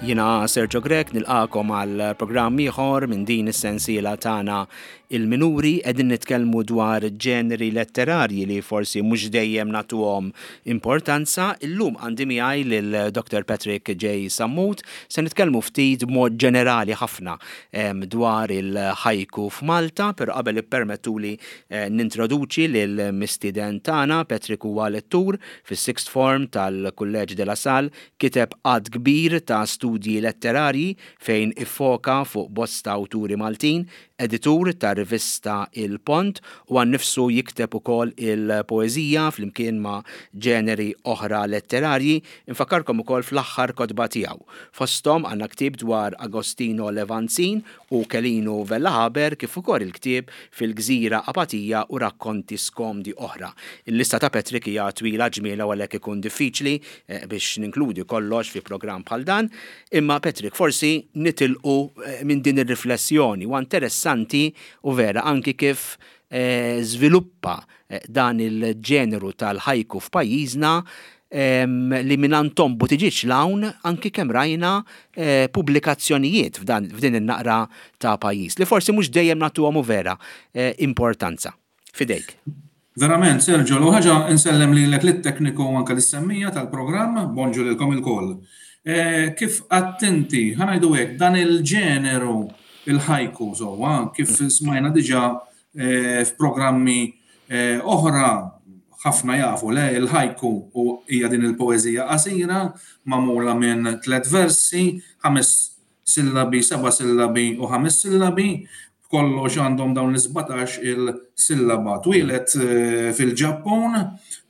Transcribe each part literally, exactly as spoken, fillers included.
Jiena Sergio Grech, nilqagħkom għal programm ieħor minn din is-sensiela tagħna Il-Minuri. Qegħdin nitkellmu dwar ġeneri letterarji li forsi mhux dejjem nagħtuhom importanza. Illum għandi miegħi lil Doctor Patrick J. Sammut. Se nitkellmu ftit b'mod ġenerali ħafna em, dwar il-ħajku f'Malta, però qabel ippermettuli eh, nintroduċi lil mistieden tagħna. Patrick huwa lettur fis-sixth form tal-Kulleġġ de la Salle, kiteb għadd kbir ta' studji letterarji fejn iffoka fuq bosta awturi Maltin, editur ta' rivista Il Pont u huwa nnifsu jikteb ukoll il-poeżija flimkien ma' ġeneri oħra letterarji. Infakkarkom ukoll fl-aħħar kotba tiegħu. Fosthom għandna ktieb dwar Agostino Levanzin u Kelinu Vella Haber, kif ukoll il-ktieb Fil-Gżira Apatija u rakkonti skomdi oħra. Il-lista ta' Patrick hija twila ġmiela u għalhekk ikun diffiċli eh, biex ninkludi kollox fi programm bħal dan. Imma Patrick, forsi nitilqu eh, minn din ir-riflessjoni. U interessanti u vera anki kif eh, żviluppa eh, dan il-ġeneru tal-ħajku f'pajjiżna em, li minn Anton Buttigieg 'l hawn, anki kemm rajna eh, pubblikazzjonijiet f'dan f'din in-naqra ta' pajjiż li forsi mhux dejjem nagħtuhom u vera eh, importanza. Fidejk. Verament, Sergio, l ħaġa insellem li l lit-tekniku u anka lis-semmiegħa tal-programm, bonġu lilkom ilkoll. Eh, kif attenti, ħa ngħidu hekk, dan il-ġeneru il-ħajku, sewwa, kif smajna diġà eh, f'programmi eh, oħra, ħafna jafu le, il-ħajku u hija din il-poeżija qasira magħmula minn tliet versi, ħames sillabi, seba' sillabi u ħames sillabi, kollox għandhom dawn l-sbatax il-sillaba. Twieled eh, fil-Ġappun,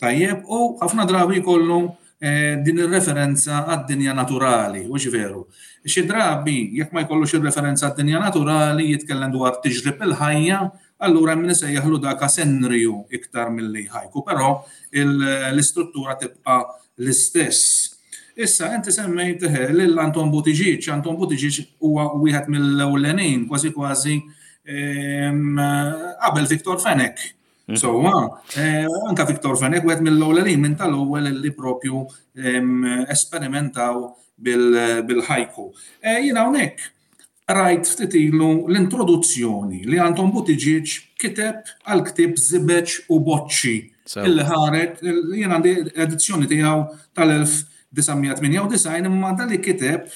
tajjeb, u ħafna drabi kollu eh, din ir-referenza għad-dinja naturali, u veru. Xi drabi, jekk ma jkollux ir-referenza għad-dinja naturali, jitkellem dwar tiġrib il-ħajja, allura min isejjaħlu dak senryu iktar milli ħajku, però l-istruttura tibqa' l-istess. Issa, inti semmejt eh, lil Anton Buttigieg. Anton Buttigieg huwa wieħed mill-ewlenin, kważi kważi qabel Victor Fenech. Mhm. So, eh, anka Victor Fenech wieħed mill-ewlenin, minn tal-ewwel li propju esperimentaw bil-ħajku. Eh, jiena hawnhekk rajt ftit ilu l-introduzzjoni li Anton Buttigieg kiteb għal ktieb Żibeġ u Boċċi illi ħareġ, jien għandi edizzjoni tiegħu tal-elf disa' mija tmienja u disgħin, imma dan li kiteb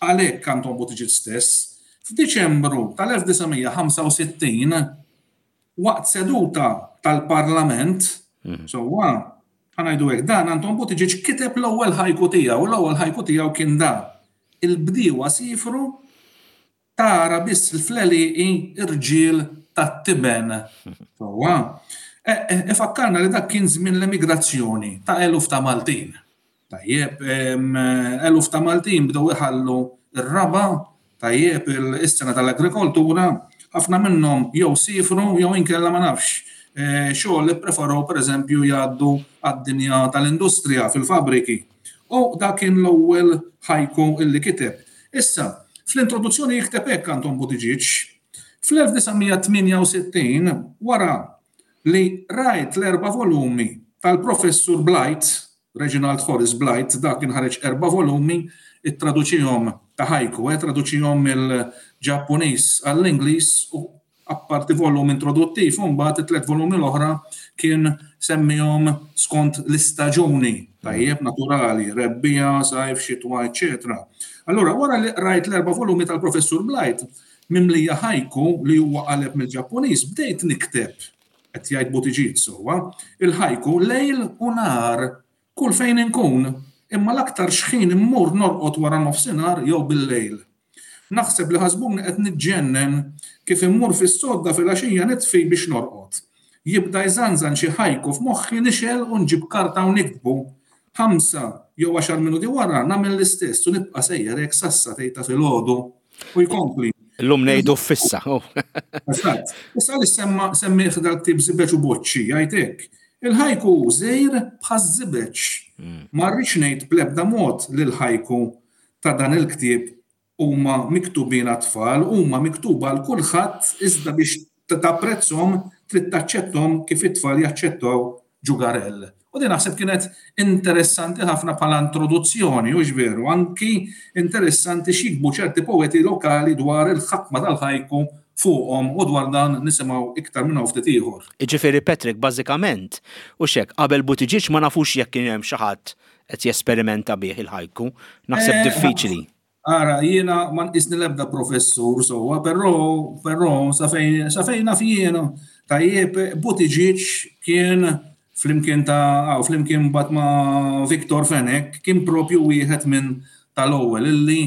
għalhekk Anton Buttigieg stess f'Diċembru tal-elf disa' mija ħamsa u sittin waqt seduta tal-Parlament, mhm. sewwa, ħa ngħidu hekk, dan Anton Buttigieg kiteb l-ewwel ħajku tiegħu, l-ewwel ħajku tiegħu kien da: "Il-bdiewa sifru, tara biss il-fleli irġiel tat-tiben." Sewwa, e, e, ifakkarna li dak kien żmien l-emigrazzjoni ta' eluf ta' Maltin. Tajjeb, eluf ta' Maltin bdew iħallu ir-raba', tajjeb, is-sena tal-agrikoltura, ħafna minnhom jew sifru jew inkella, ma nafx, e, xogħol li preferow, pereżempju, jgħaddu għad-dinja tal-industrija fil-fabriki. U dak kien l-ewwel ħajku illi kiteb. Issa, fl-introduzzjoni jikteb hekk Anton Buttigieg: "Fl-elf disa' mija tmienja u sittin, wara li rajt l-erba' volumi tal-professur Blight, Reginald Horace Blight, dak kien ħareġ erba' volumi, ittraduċihom ta' ħajku, eh, traduċihom mill-Ġappuniż għall-Ingliż u apparti volum introduttiv, u mbagħad it-tliet volumi l-oħra kien semmihom skont l-istaġuni, tajjeb, naturali, rebbiegħa, sajf, xitwa, eċetera. Allura, wara li rajt l-erba' volumi tal-professur Blight, mimlija ħajku li huwa qaleb mill-Ġappuniż, bdejt nikteb", qed jgħid Buttigieg, sewwa, "il-ħajku lejl u nhar, kull fejn inkun, imma l-aktar xħin immur norqod wara nofsinhar jew bil-lejl. Naħseb li ħasbuni qed niġġennen kif immur fis-sodda fil-għaxija, nitfi biex norqod. Jibda jżanżan xi ħajku f'moħħi, nixgħel u nġib karta u niktbu. Ħamsa jew għaxar minuti wara nagħmel l-istess u nibqa' sejjer hekk sas-sagħtejn ta' filgħodu." U jkompli. Illum ngħidu fissa. Oh. Eżatt. Issa li semma semmih dal-ktieb Żibeġ u Boċċi, jgħid hekk: "Il-ħajku żgħir bħaż-żibeġ. Mm. Ma rridx ngħid bl-ebda mod li l-ħajku ta' dan il-ktieb huma miktubin għat-tfal, huma miktuba għal kulħadd, iżda biex tapprezzhom trid taċċettom kif it-tfal jaċċettaw ġugarell." U din naħseb kienet interessanti ħafna bħala introduzzjoni, u veru, anki interessanti x'jiktbu ċerti poeti lokali dwar il-ħakma tal-ħajku fuqhom, u dwar dan nisimgħu iktar minn ftit ieħor. Iġifieri Patrick, bażikament, u xek, qabel Buttigieg ma nafux jekk kien hemm xi ħadd qed jesperimenta bih il-ħajku. Naħseb Eh, diffiċli. Ara, jiena ma nqisni l-ebda professur sewwa, però però sa fejn sa fejn naf jiena, tajjeb, Buttigieg kien flimkien ta' aw, flimkien bat ma' Victor Fenech, kien propju wieħed minn tal-ewwel illi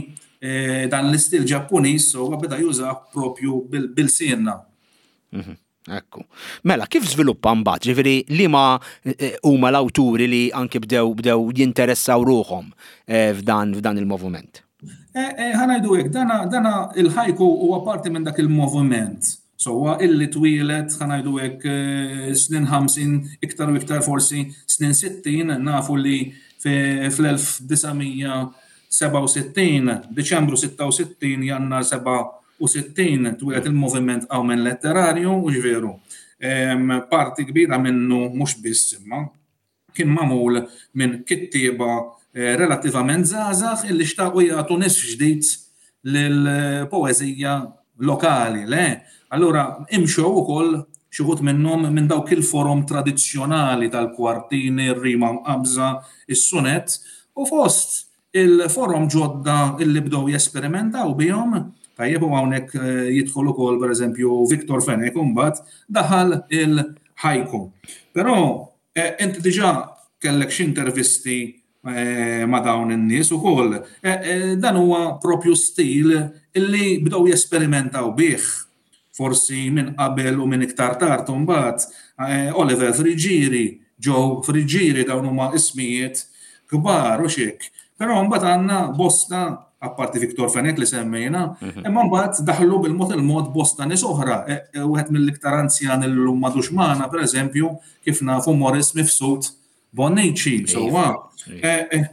eh, dan l-istil Ġappuniż sewwa beda jużah propju bil-sienna. Mhm, Ekku. Mela, kif żviluppa mbagħad? Ġifieri liema eh, huma l-awturi li anki bdew bdew jinteressaw ruħhom eh, f'dan f'dan il-moviment? Ħa ngħidu hekk, dana, dana il-ħajku huwa parti minn dak il-moviment. Sewwa illi twieled, ħa ngħidu hekk, snin ħamsin, iktar u iktar forsi snin sittin, nafu li fl-elf disa' mija sebgħa u sittin, Diċembru sitta u sittin, Jannar sebgħa u sittin, twieled il-moviment Qawmien Letterarju, u ġveru. Parti kbira minnu mhux biss imma kien magħmul minn kittieba, eh, relattivament żgħażagħ illi xtaqu jagħtu nisf ġdid lill-poeżija lokali, le? Allura imxew ukoll xi wħud minnhom minn dawk il-forom tradizzjonali tal-kwartini, ir-rima mqabża, is-sunet, u fost il-forom ġodda illi bdew jesperimentaw bihom, tajjeb, u hawnhekk, eh, jidħol ukoll pereżempju Victor Fenech, u mbagħad daħal il-ħajku. Però, eh, inti diġà kellek xi intervisti, eh, ma' dawn in-nies ukoll. Eh, eh, dan huwa propju stil illi bdew jesperimentaw bih. Forsi minn qabel u minn iktar tard imbagħad, eh, Oliver Friggieri, Joe Friggieri, dawn huma ismijiet kbar u xek. Però mbagħad għandna bosta, apparti Victor Fenech li semmejna, Mhm. imma mbagħad daħlu bil-mod il-mod bosta nies oħra. E, e, wieħed mill-iktar anzjan illum m'għadux magħna, pereżempju, kif nafu Morris Mifsud Bonnici, Iva. sewwa. Iva. E, e,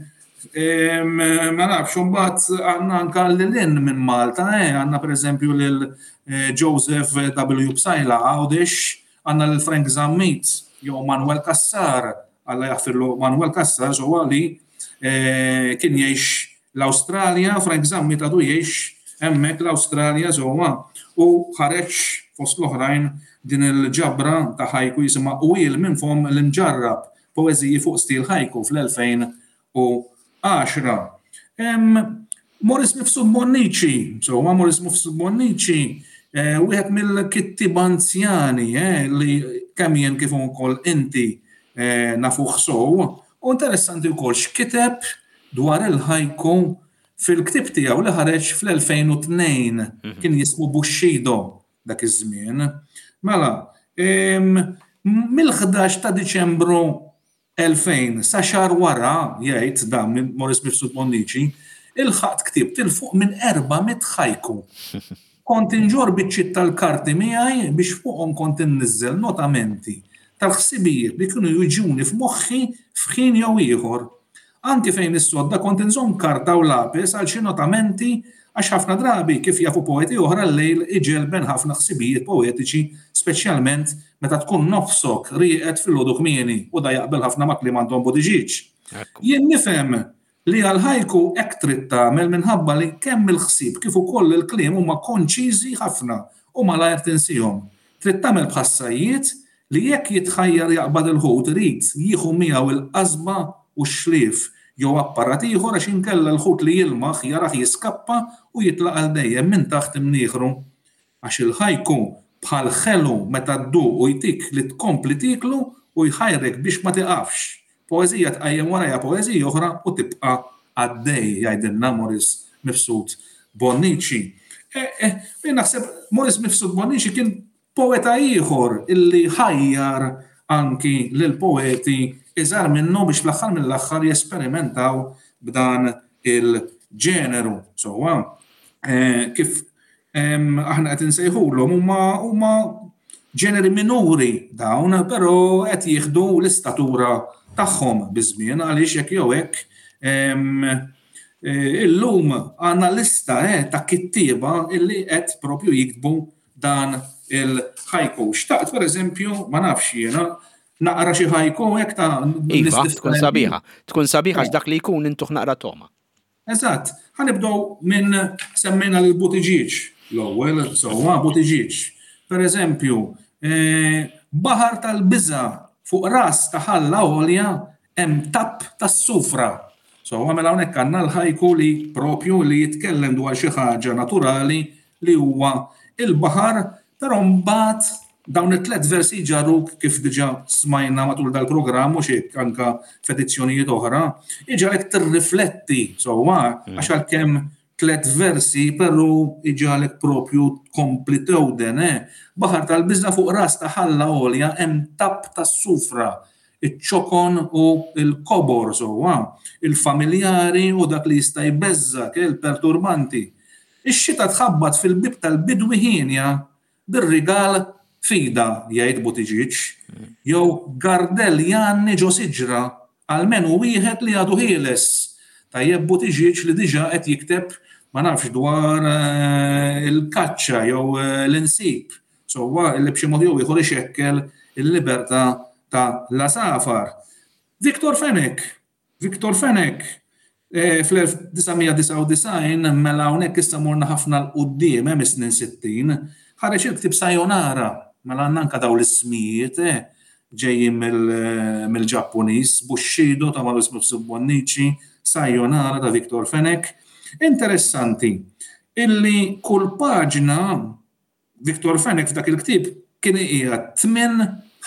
em, ma nafx, imbagħad għandna anka lil hinn minn Malta, eh, għandna pereżempju lil, eh, Joseph W. Psaila Għawdex, għandna lil Frank Zammit, jew Manuel Cassar, Alla jaħfirlu Manuel Cassar, sewwa li, eh, kien jgħix l-Awstralja, Frank Zammit għadu jgħix hemmhekk l-Awstralja sewwa, u ħareġ fost l-oħrajn din il-ġabra ta' ħajku jisimha Qwiel minn fom l-imġarrab, poeżiji fuq stil ħajku fl-elfejn u għaxra. Em, Morris Mifsud Bonnici, sewwa Morris Mifsud Bonnici, eh, wieħed mill-kittieba anzjani, eh, li kemm jien kif ukoll inti, eh, nafuh sew, u interessanti wkoll x'kiteb dwar il-ħajku fil-ktieb tiegħu li ħareġ fl-elfejn u tnejn, Mhm. kien jismu Bushido dak iż-żmien. Mela, em, mill-ħdax ta' Diċembru elfejn sa xahar wara, jgħid dan minn Morris Mifsud Bonnici, il-ħadd ktibt 'il fuq minn erba' mitt ħajku. Kont inġorr biċċiet tal-karti miegħi biex fuqhom kont inniżżel notamenti tal-ħsibijiet li kienu jiġuni f'moħħi f'ħin jew ieħor. Anki fejn is-sodda kont inżomm karta u lapis għal xi notamenti, għax ħafna drabi kif jafu poeti oħra l-lejl iġelben ħafna ħsibijiet poetiċi, speċjalment meta tkun nofsok rieqed fil-għodu kmieni, u da jaqbel ħafna ma' kliem Anton Buttigieg. Ekku. Jien nifhem li għal-ħajku hekk trid tagħmel minħabba li kemm il-ħsieb kif ukoll il-kliem huma konċiżi ħafna u malajr tinsihom. Trid tagħmel bħas-sajjiet li jekk jitħajjar jaqbad il-ħut irid jieħu miegħu il-qasba u x-xlief jew apparat ieħor, għax inkella l-ħut li jilmaħ jarah jiskappa u jitlaq għal dejjem minn taħt imnieħru. Għax il-ħajku bħal ħelu meta dduq u jtik li tkompli tieklu u jħajrek biex ma tiqafx. Poeżija tqajjem warajha poeżija oħra u tibqa' għaddej, jgħidilna Morris Mifsud Bonnici. E, e, jien naħseb Morris Mifsud Bonnici kien poeta ieħor illi ħajjar anki lil poeti iżgħar minnu biex fl-aħħar mill-aħħar jesperimentaw b'dan il-ġeneru. Sewwa, eh, kif, em, aħna qed insejħulhom huma, huma ġeneri minuri dawn, però qed jieħdu l-istatura tagħhom biż-żmien, għaliex jekk jew hekk, em, eh, illum għandna lista, eh, ta' kittieba illi qed propju jiktbu dan il-ħajku. Xtaqt, per eżempju, ma nafx jiena, Naqra xi ħajku hekk ta' Iva, tkun sabiħa. Tkun sabiħa għax dak li jkun intuh naqra toma. Eżatt. Ħa nibdew minn semmejna lil Buttigieg l-ewwel, sewwa Buttigieg. Per eżempju, eh, baħar tal-biża fuq ras ta' ħalla għolja hemm tapp tas-sufra. So, mela hawnhekk għandna l-ħajku li propju li jitkellem dwar xi ħaġa naturali li huwa il-baħar, però mbagħad dawn it-tlet versi ġarruk kif diġà smajna matul dal-programm u xi anka f'edizzjonijiet oħra, iġagħlek tirrifletti sewwa mm. għax għalkemm tlet versi però iġagħlek propju tkompli tewden, eh? Baħar tal-biża fuq ras ta' ħalla għolja hemm tapp tas-sufra, iċ-ċokon u l-kobor sewwa, il-familjari u dak li jista' jbeżżak, il-perturbanti. Ix-xita tħabbat fil-bieb tal-bidwi hienja bir-rigal fida, jgħid Buttigieg, jew gardell jgħanni ġo siġra almenu wieħed li għadu ħieles. Tajjeb Buttigieg li diġà qed jikteb ma nafx dwar eh, il-kaċċa jew eh, l-insib. Sewwa li b'xi mod jew ieħor ixekkel il-libertà ta' l-għasafar. Victor Fenech, Victor Fenech, eh, fl-elf disa' mija disgħa u disgħin, mela hawnhekk issa morna ħafna 'l quddiem, hemm is-snin sittin, ħareġ il-ktieb Sayonara, mela għandna anke dawn l-ismijiet, eh, ġejjin mill-Ġappuniż, Bushido ta' Maurice Mifsud Bonnici, Sayonara ta' Victor Fenech. Interessanti illi kull paġna Victor Fenech f'dak il-ktieb kien iqiegħed tmien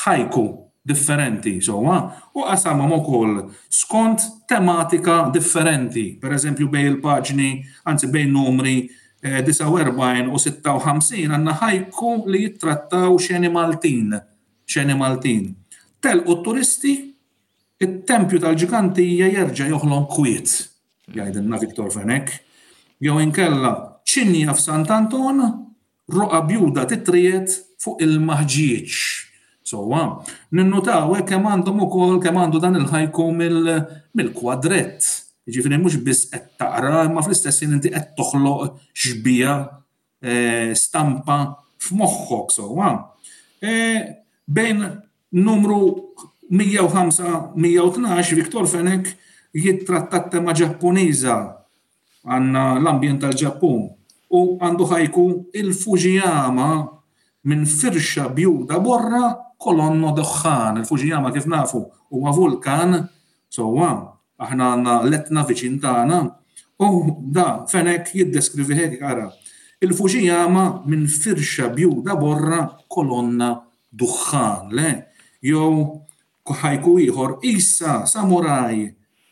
ħajku differenti, sewwa, u qasamhom ukoll skont tematika differenti. Per eżempju bejn il-paġni, anzi bejn numri disgħa u erbgħin u sitta u ħamsin għandna ħajku li jittrattaw xeni Maltin, xeni Maltin. Telqu t-turisti, it-tempju tal-ġigantija jerġa' joħlom kwiet, jgħidilna Victor Fenech. Jew inkella ċinja f'Sant'Anton, roqa bjuda titriet fuq il-maħġieġ. Sewwa, ninnutaw hekk kemm għandhom ukoll kemm għandu dan il-ħajku mill-kwadrett. Jiġifieri mhux biss qed taqra, imma fl-istess ħin inti qed toħloq xbija, stampa f'moħħok sewwa. Bejn numru mija u ħamsa, mija u tnax, Victor Fenech jittratta t-tema Ġappuniża, għandna l-ambjent tal-Ġappun, u għandu ħajku il-Fujiyama minn firxa bjuda borra kolonno duħħan. Il-Fujiyama kif nafu huwa vulkan, sewwa, aħna għandna l-Etna viċin tagħna, u da Fenech jiddeskrivi hekk, ara. Il-Fujiyama minn firxa bjuda borra kolonna duħħan, le? Jew ħajku ieħor, issa samuraj,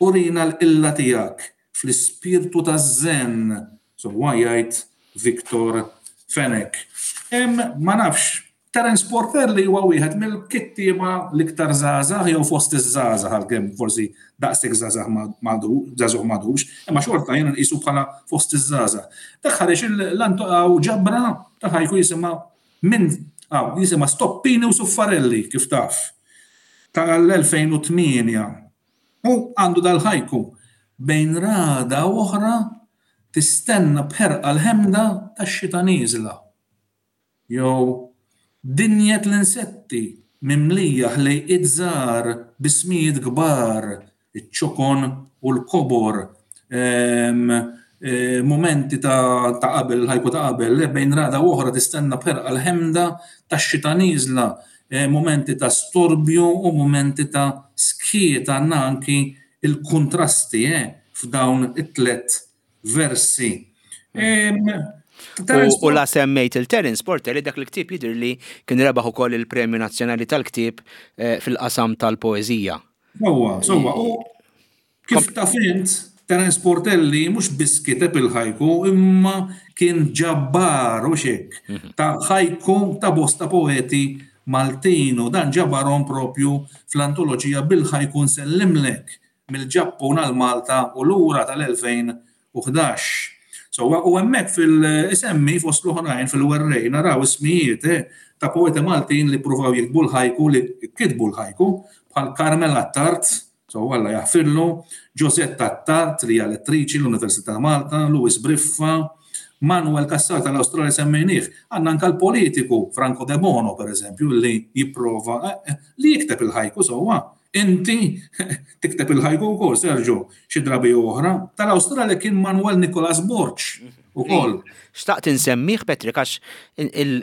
urina l-qilla tiegħek fl-ispirtu taż-zen, sewwa jgħid Victor Fenech. Hemm ma nafx, Terence Portelli huwa wieħed mill-kittieba l-iktar żgħażagħ jew fost iż-żgħażagħ, għalkemm forsi daqshekk żgħażagħ żagħżugħ m'għadux, imma xorta jiena nqisu bħala fost iż-żgħażagħ. Dak ħareġ l-antu ġabra ta' ħajku jisimha minn aw jisimha Stoppini u Suffarelli kif taf tal-elfejn u tmienja. U għandu dal-ħajku bejn rada u oħra tistenna b'ħerqa l-ħemda tax-xita nieżla. Jew dinjet l-insetti mimlija ħlejqiet żgħar bismijiet kbar, iċ-ċokon u l-kobor, momenti ta' qabel, il-ħajku ta' qabel, bejn rada u oħra tistenna b'ħerqa l-ħemda tax-xita nieżla, momenti ta' storbju u momenti ta' skiet, għandna anki il-kontrasti f'dawn it-tlet versi. U la semmejt il-Terence Portelli, dak il-ktieb jidher li kien rebaħ ukoll il-Premju Nazzjonali tal-Ktieb fil-qasam tal-poeżija. Sewwa, sewwa. U kif taf int, Terence Portelli mhux biss kiteb il-ħajku, imma kien ġabbar u xek ta' ħajku ta' bosta poeti Maltin, u dan ġabarhom propju fl-antoloġija bil-ħajku nsellimlek mill-Ġappun għal Malta u lura tal-elfejn u ħdax. So, u hemmhekk fil-isemmi fost l-oħrajn fil-werrej naraw ismijiet, eh, ta' poeti Maltin li pruvaw jiktbu l-ħajku, li kitbu l-ħajku, bħal Carmel Attard, so Alla jaħfirlu, Josette Attard li hija lettriċi l-Università ta' Malta, Louis Briffa, Manuel Cassar tal-Awstralja semmejnieh, għandna anke l-politiku Franco De Bono, per eżempju, li jipprova eh, eh, li jikteb il-ħajku sewwa. Inti tikteb il-ħajku wkoll, Sergio, xi drabi oħra. Tal-Awstralja kien Manuel Nicolas Borg ukoll. Xtaqt insemmih, Patrick, għax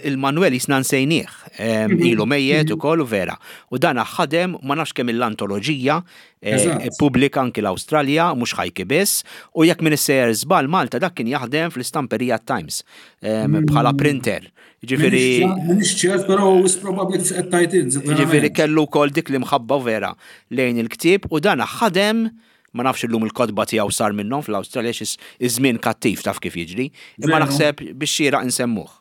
il-Manuel jisna nsejnieh, mhm. ilu mejjet mhm. ukoll u vera. U dan ħadem ma nafx kemm l-antoloġija eh, pubblika anki l-Awstralja, mhux ħajki biss, u jekk minn sejjer żball Malta dak kien jaħdem fl-istamperija Times mm. bħala printer. Ġifieri. M'iniex ċert, però wis probabbli kif qed tgħid. Ġifieri kellu wkoll dik li mħabba vera lejn il-ktieb u dan ħadem, ma nafx illum il-kotba tiegħu sar minnhom fl-Awstralja, xi iż-żmien kattiv taf kif jiġri, imma naħseb biex xieraq insemmuh.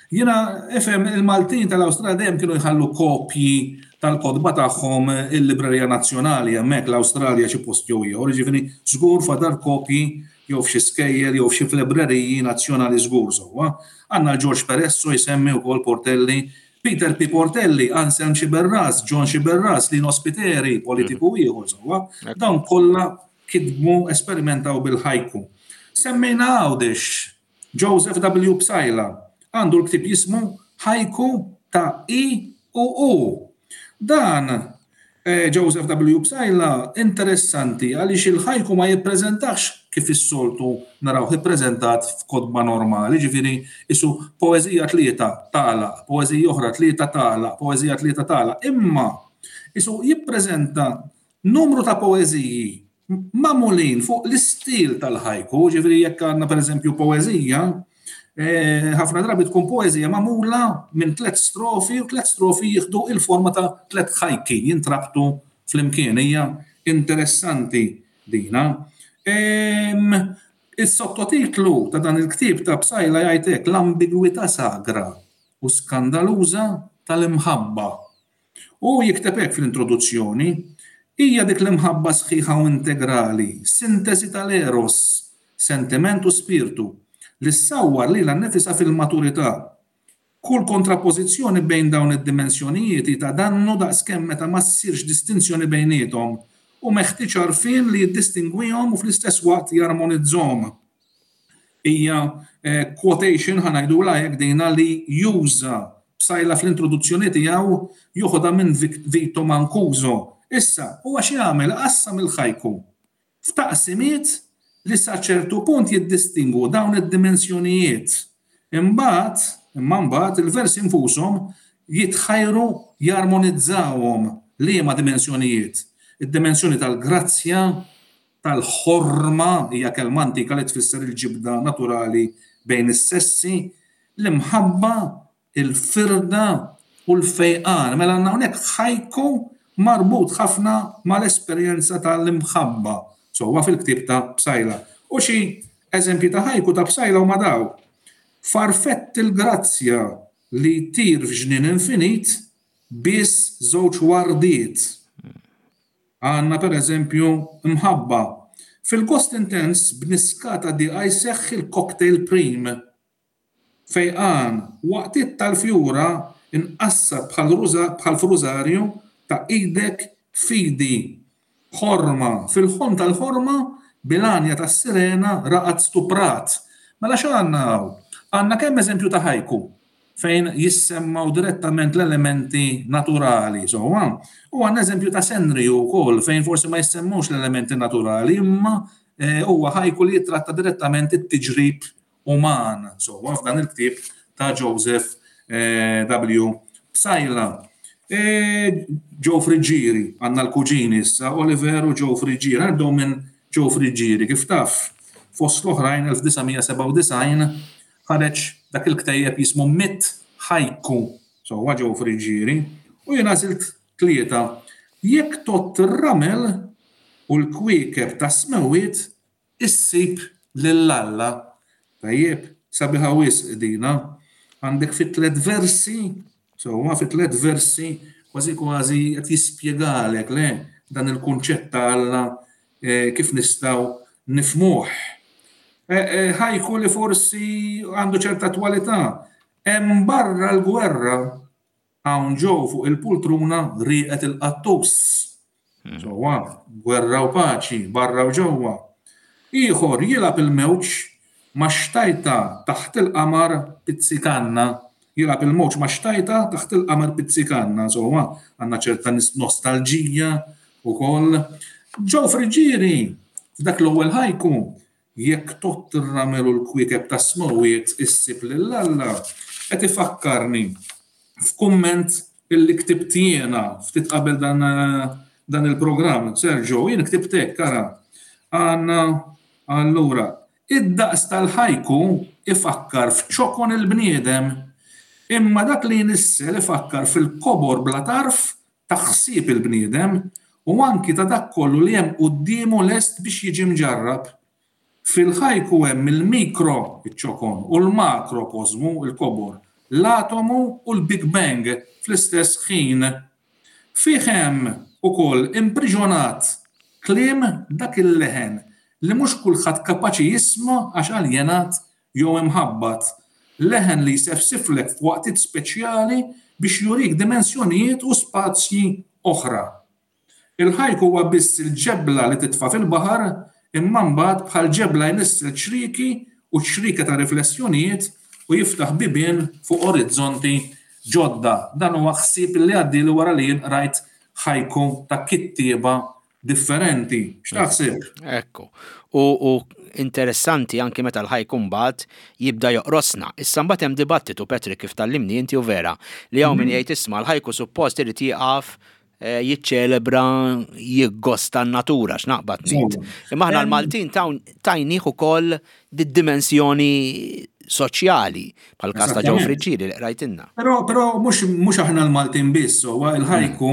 Jiena ifhem il-Maltin tal-Awstralja dejjem kienu jħallu kopji tal-kotba tagħhom il-Librerija Nazzjonali hemmhekk l-Awstralja xi post jew ieħor, jiġifieri żgur fadal kopji jew f'xi skejjel jew f'xi f'libreriji nazzjonali żgur sewwa. Għandna l-Ġorġ Peresso jsemmi wkoll Portelli, Peter P. Portelli, Anselm Sciberras, John Sciberras, Lino Spiteri, politiku mhm. ieħor sewwa. Dawn kollha kitbu, esperimentaw bil-ħajku. Semmejna Għawdex, Joseph W. Psaila, għandu l-ktieb jismu Ħajku ta' I u U. Dan eh, Joseph W. Psaila interessanti għaliex il-ħajku ma jippreżentax kif is-soltu narawh ippreżentat f'kotba normali, ġifieri isu poeżija tlieta tagħlaq, poeżija oħra tlieta tagħlaq, poeżija tlieta tagħlaq, imma isu jippreżenta numru ta' poeżiji magħmulin fuq l-istil tal-ħajku, ġifieri jekk għandna pereżempju poeżija, eh, ħafna drabi tkun poeżija magħmula minn tliet strofi u tliet strofi jieħdu il-forma ta' tliet ħajki jintrabtu flimkien. Hija interessanti dina. Is-sottotitlu ta' dan il-ktieb ta' Psaila jgħid hekk: l-ambigwità sagra u skandaluża tal-imħabba. U jikteb hekk fl-introduzzjoni: hija dik l-imħabba sħiħa u integrali, sintesi tal-eros, sentiment u spirtu, li ssawwar lilha nnifisha fil-maturità. Kull kontrapożizzjoni bejn dawn id-dimensjonijiet hi ta' dannu daqskemm meta ma ssirx distinzjoni bejniethom, u meħtieġ għarfien li jiddistingwihom u fl-istess waqt jarmonizzhom. Hija quotation, ħa ngħidulha hekk dina, li juża Psaila fl-introduzzjoni tiegħu, joħodha minn Vito Mancuso. Issa, huwa x'jagħmel? Iqassam il-ħajku f'taqsimiet li sa ċertu punt jiddistingwu dawn id-dimensjonijiet. Imbagħad, imma mbagħad, il-versi nfushom jitħajru jarmonizzawhom. Liema dimensjonijiet? Id-dimensjoni tal-grazzja, tal-ħorma, hija kelma antika li tfisser il-ġibda naturali bejn is-sessi, l-imħabba, il-firda u l-fejqan. Mela għandna hawnhekk ħajku marbut ħafna mal-esperjenza tal-imħabba sewwa fil-ktieb ta' Psaila. U xi eżempji ta' ħajku ta' Psaila huma dawn, Farfett il-grazzja li jtir f'ġnien infinit biss żewġ wardiet. Għandna pereżempju mħabba. Fil-gost intens b'niskata diqa jseħħ il-cocktail prim. Fejqan, waqtiet tal-fjura nqassar bħal f'rużarju ta' idek f'idi. Ħorma, fil-ħolm tal-ħorma bil-għanja tas-sirena raqad stuprat. Mela x'għandna hawn? Għandna kemm eżempju ta' ħajku fejn jissemmgħu direttament l-elementi naturali, sewwa, u għandna eżempju ta' senriju wkoll fejn forsi ma jissemmux l-elementi naturali imma eh, huwa ħajku li jittratta direttament it-tiġrib uman, sewwa, f'dan il-ktieb ta' Joseph eh, W. Psaila. Eh, Joe Friggieri, għandna l-kuġini issa, Oliver u Joe Friggieri, għaddew minn Joe Friggieri, kif taf, fost l-oħrajn elf disa' mija sebgħa u disgħin ħareġ dak il-ktejjeb jismu Mitt Ħajku, sewwa Joe Friggieri, u jien għażilt tlieta. Jekk tgħodd ir-ramel u l-kwiekeb tas-smewwiet, issib lil Alla. Tajjeb, sabiħa wisq dina. Għandek fi tliet versi, sewwa fi tliet versi kważi kważi qed jispjegalek le dan il-kunċett ta' Alla eh, kif nistgħu nifhmuh. Eh, eh, ħajku li forsi għandu ċerta attwalità. Hemm barra l-gwerra, hawn ġew fuq il-pultruna rieqet il-qattus. Hmm. Sewwa, gwerra u paċi, barra u ġewwa. Ieħor jilgħab il-mewġ ma' xtajta taħt il-qamar pizzikanna. Jilgħab il-mowġ ma' xtajta taħt il-qamar pizzikanna. Insomma, għandna ċerta nostalġija ukoll. Joe Friggieri, f'dak l-ewwel ħajku, jekk tott ir-ramel u l-kwiekeb tas-smewwiet issib lil Alla, qed ifakkarni f'kumment illi ktibt jiena ftit qabel dan, dan il-programm. Sergio, jien ktibt hekk, ara. Għandna allura, id-daqs tal-ħajku ifakkar f'ċokon il-bniedem, imma dak li jnissel ifakkar fil-kobor bla tarf ta' ħsieb il-bniedem u anki ta' dak kollu li hemm quddiemu lest biex jiġi mġarrab. Fil-ħajku hemm il-mikro, iċ-ċokon, u l-makrokosmu, il-kobor, l-atomu u l-Big Bang fl-istess ħin. Fih hemm ukoll impriġonat kliem dak il-leħen li mhux kulħadd kapaċi jisma' għax aljenat jew imħabbat. Leħen li jsefsiflek f'waqtiet speċjali biex jurik dimensjonijiet u spazji oħra. Il-ħajku huwa biss il-ġebla li titfa' fil-baħar, imma mbagħad bħal ġebla jnissel ċriki u ċrika ta' riflessjonijiet u jiftaħ bibien fuq orizzonti ġodda. Dan huwa ħsieb li għaddieli wara li jien qrajt ħajku ta' kittieba differenti. X'taħseb? Ekku. U, u interessanti anki meta l-ħajku mbagħad jibda joqrosna. Issa mbagħad hemm dibattitu, Patrick, kif tgħallimni inti u vera, li hawn min jgħid isma' l-ħajku suppost irid jieqaf eh, jiċċelebra, jiggosta n-natura, x'naqbad ngħid. Imma aħna l-Maltin tajnieh ukoll di-dimensjoni soċjali, bħal każ ta' Joe Friggieri li qrajtilna. Però però mhux mhux aħna l-Maltin biss, huwa il-ħajku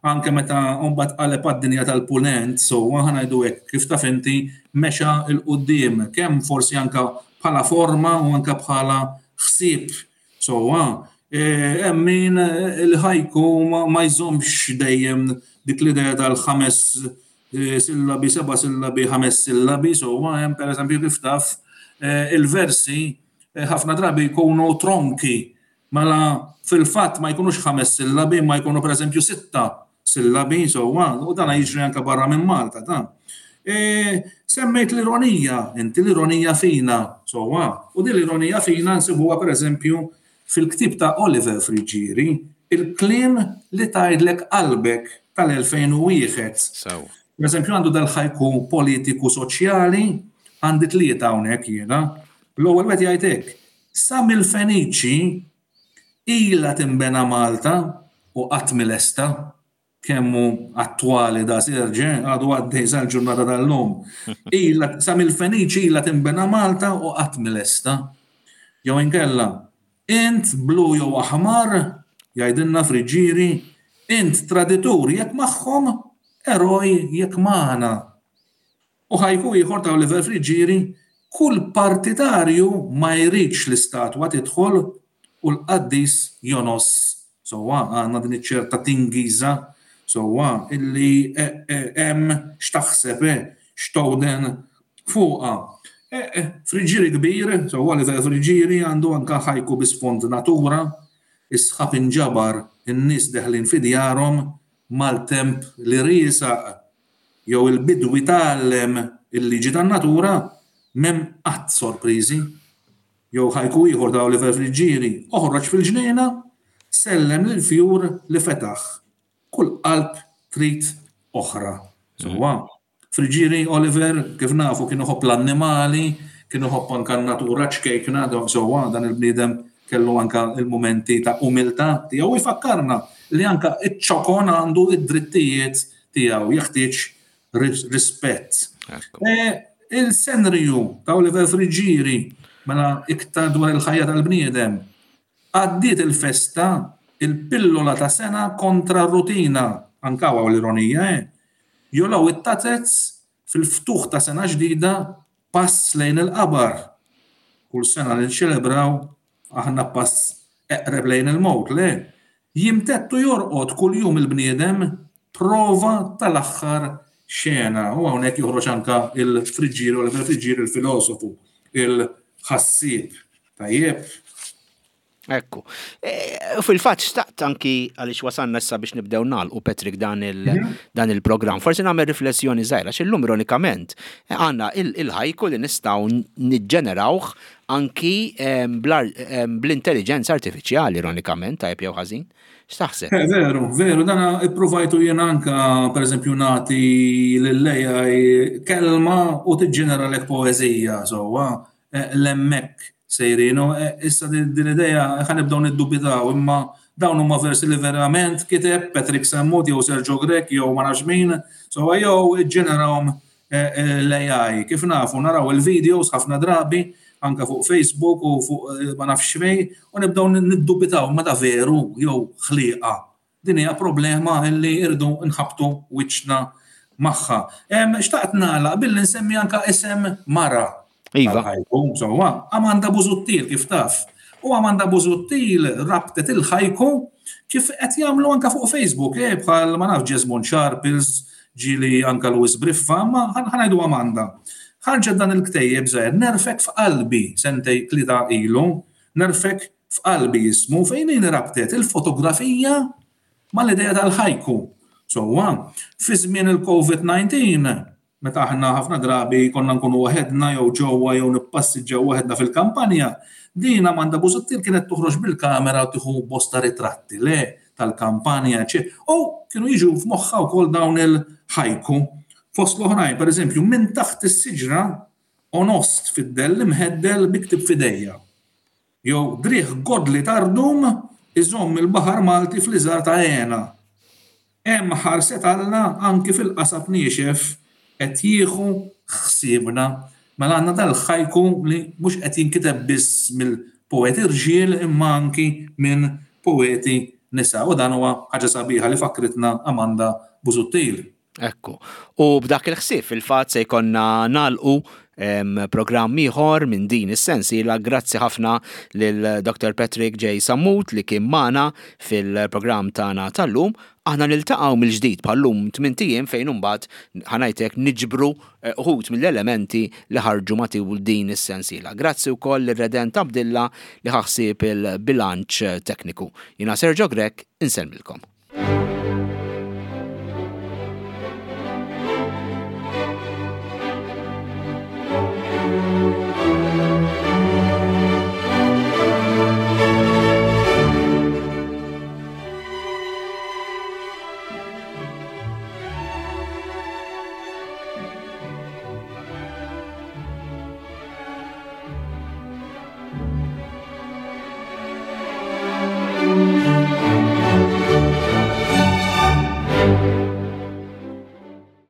anke meta mbagħad qaleb għad-dinja tal-punent, so aħna ngħidu hekk kif taf inti mexa 'l quddiem, kemm forsi anke bħala forma u anke bħala ħsieb. So hemm min il-ħajku ma jżommx dejjem dik l-idea tal-ħames sillabi, seba' sillabi, ħames sillabi, so hemm pereżempju kif taf il-versi ħafna drabi jkunu tronki, mela fil-fatt ma jkunux ħames sillabi, ma jkunu pereżempju sitta sillabi, so u dan jiġri anke barra minn Malta dan. E, semmejt l-ironija, inti l-ironija fina, so u din l-ironija fina nsibuha pereżempju fil-ktib ta' Oliver Friggieri, il-kliem li tgħidlek qalbek tal-elfejn u wieħed. Per eżempju għandu dal-ħajku politiku soċjali, għandi tlieta hawnhekk jiena. L-ewwel wieħed jgħid hekk, sa mill-Feniċi ilha tinbena Malta u qatt milesta, kemm hu attwali da Serġe, għadu għaddej sal-ġurnata tal-lum. Ilha sa mill-Feniċi ilha tinbena Malta u qatt milesta. Jew inkella, int blu jew aħmar, jgħidilna Friggieri, int traditur jekk magħhom, eroj jekk magħna. U ħajku ieħor ta' Oliver Friggieri, kull partitarju ma jridx l-istatwa tidħol u l-qaddis jonos. Sowa, għandna din iċ-ċerta tingiża, sowa, illi hemm x'taħseb, x'towden fuqha. Friggieri kbir, sowa li Friggieri għandu anka ħajku bi sfond natura, is-sħab inġabar, in-nies deħlin fi djarhom mal-temp li riesaq jew il-bidwi tgħallem il-liġi tan-natura, m'hemm qatt sorpriżi. Jew ħajku ieħor ta' Oliver Friggieri, oħroġ fil-ġnejna, sellem lil fjur li fetaħ. Kull qalb trid oħra. Sewwa. Friggieri Oliver, kif nafu, kienu ħobb l-annimali, kienu ħobb anka n-natura ċkejkna, sewwa, dan il-bniedem kellu anka il-momenti ta' umiltà tiegħu jfakkarna li anka iċ-ċokon għandu id-drittijiet tiegħu, jeħtieġ rispett. Il-senriju ta' Oliver Friggieri, mela iktar dwar il-ħajja tal-bniedem, għaddiet il-festa, il-pillola ta' sena kontra r-rutina, anka hawn l-ironija, eh? Jolaw it-tazez fil-ftuħ ta' sena ġdida pass lejn il-qabar. Kull sena li nċelebraw aħna pass eqreb lejn il-mowt, le? Jimtettu jorqod kull jum il-bniedem prova tal-aħħar xena. U hawnhekk joħroġ anka il-Friggieri, Oliver Friggieri, il-filosofu, il-ħassieb. Tajjeb. Ekku. E, fil-fatt xtaqt anki għaliex wasanna issa biex nibdew nagħlqu, Patrick, dan il mhm. dan il-programm. Forsi nagħmel riflessjoni żgħira x'illum ironikament għandna il-ħajku li nistgħu niġġenerawh anki bl-intelligenza artifiċjali, ironikament, tajjeb jew ħażin. X'taħseb? Eh, veru, veru, dana ippruvajtu jien anka, pereżempju, nagħti lill-A I kelma u tiġġeneralek poeżija, sewwa, eh, l-emmek sejrinu. E, issa din l-idea ħa nibdew niddubitaw, imma dawn huma versi li verament kiteb Patrick Sammut jew Sergio Grech jew ma nafx min, so jew iġġenerawhom e, e, l-A I. Kif nafu, naraw il-videos ħafna drabi anka fuq Facebook u fuq ma nafx fejn u nibdew niddubitaw ma da veru jew ħliqa. Din hija problema li irdu nħabtu wiċċna magħha. Xtaqt nagħlaq billi nsemmi anka isem mara. Iva. Sewwa, Amanda Busuttil, kif taf. U Amanda Busuttil rabtet il-ħajku kif qed jagħmlu anka fuq Facebook, eh, bħal ma naf Jesmond Sharples, ġili anka Louis Briffa, ma ħa ngħidu Amanda. Ħarġet dan il-ktejjeb żgħir, Nerfgħek f'Qalbi, sentejn tlieta ilu, Nerfgħek f'Qalbi jismu, fejn rabtet il-fotografija mal-idea tal-ħajku. Sewwa, fi żmien il-COVID disgħa, meta aħna ħafna drabi konna nkunu waħedna jew ġewwa jew nippassiġġaw waħedna fil-kampanja, din Amanda Busuttil kienet toħroġ bil-kamera u tieħu bosta ritratti le tal-kampanja, u kienu jiġu f'moħħa wkoll dawn il-ħajku. Fost l-oħrajn, per eżempju, minn taħt is-siġra onost fid-dell imħeddel bi ktieb f'idejja. Jew driegħ godli tardum iżomm il-baħar Malti fl-iżar ta' għena. Hemm ħarset Alla anki fil-qasab niexef qed jieħu ħsiebna. Mela għandna dal-ħajku li mhux qed jinkiteb biss mill-poeti rġiel imma anki minn poeti nisa. U dan huwa ħaġa sabiħa li fakritna Amanda Busuttil. Ekku. U b'dak il-ħsieb fil-fatt se jkollna nagħlqu programm ieħor minn din is-sensiela. Grazzi ħafna lil Doctor Patrick J. Sammut li kien magħna fil-programm tagħna tal-lum. Aħna niltaqgħu mill-ġdid bħallum tmint ijiem fejn imbagħad ħa ngħidlek niġbru eh, uħud mill-elementi li ħarġu matul din is-sensiela. Grazzi wkoll lir-Redent Abdilla li ħa ħsieb il-bilanċ tekniku. Jiena Sergio Grech, insellmilkom.